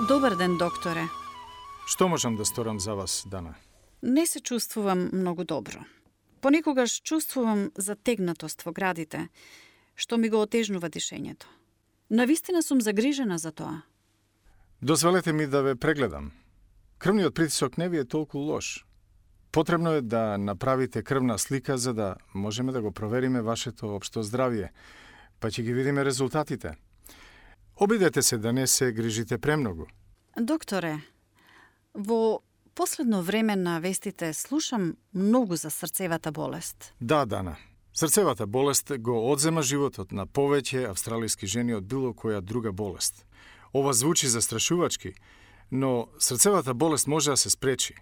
Добар ден, докторе. Што можам да сторам за вас, Дана? Не се чувствувам многу добро. Понекогаш чувствувам затегнатост во градите, што ми го отежнува дишењето. Навистина сум загрижена за тоа. Дозволете ми да ве прегледам. Крвниот притисок не ви е толку лош. Потребно е да направите крвна слика за да можеме да го провериме вашето општо здравје, па ќе ги видиме резултатите. Обидете се да не се грижите премногу. Докторе, во последно време на вестите слушам многу за срцевата болест. Да, Дана. Срцевата болест го одзема животот на повеќе австралиски жени од било која друга болест. Ова звучи застрашувачки, но срцевата болест може да се спречи.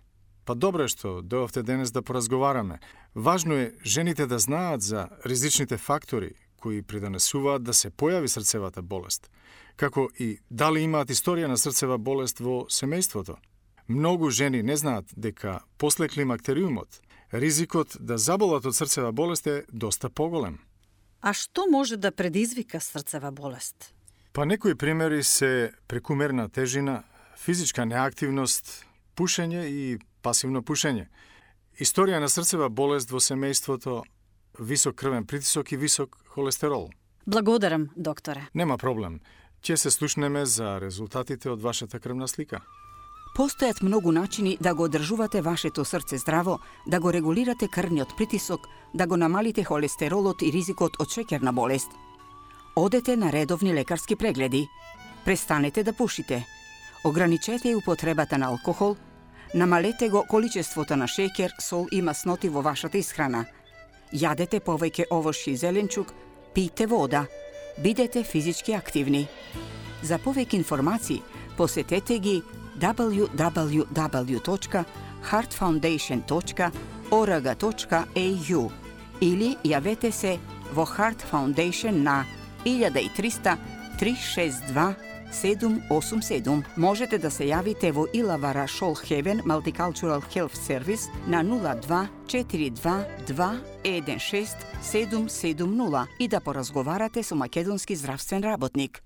Па добро е што дојавте денес да поразговараме. Важно е жените да знаат за ризичните фактори кои придонесуваат да се појави срцевата болест, како и дали имаат историја на срцева болест во семејството. Многу жени не знаат дека после климактериумот ризикот да заболат од срцева болест е доста поголем. А што може да предизвика срцева болест? Па некои примери се прекумерна тежина, физичка неактивност, пушење и пасивно пушење. Историја на срцева болест во семејството, висок крвен притисок и висок холестерол. Благодарам, докторе. Нема проблем. Ќе се слушнеме за резултатите од вашата крвна слика. Постојат многу начини да го одржувате вашето срце здраво, да го регулирате крвниот притисок, да го намалите холестеролот и ризикот од шеќерна болест. Одете на редовни лекарски прегледи. Престанете да пушите. Ограничете употребата на алкохол. Намалете го количеството на шеќер, сол и масноти во вашата исхрана. Јадете повеќе овошје и зеленчук, пијте вода. Бидете физички активни. За повеќе информации посетете ги www.heartfoundation.org.au или јавете се во Heart Foundation на 1300 362 787. Можете да се јавите во Илавара Шолхевен Multicultural Health Service на 02 42 216 770 и да поразговарате со македонски здравствен работник.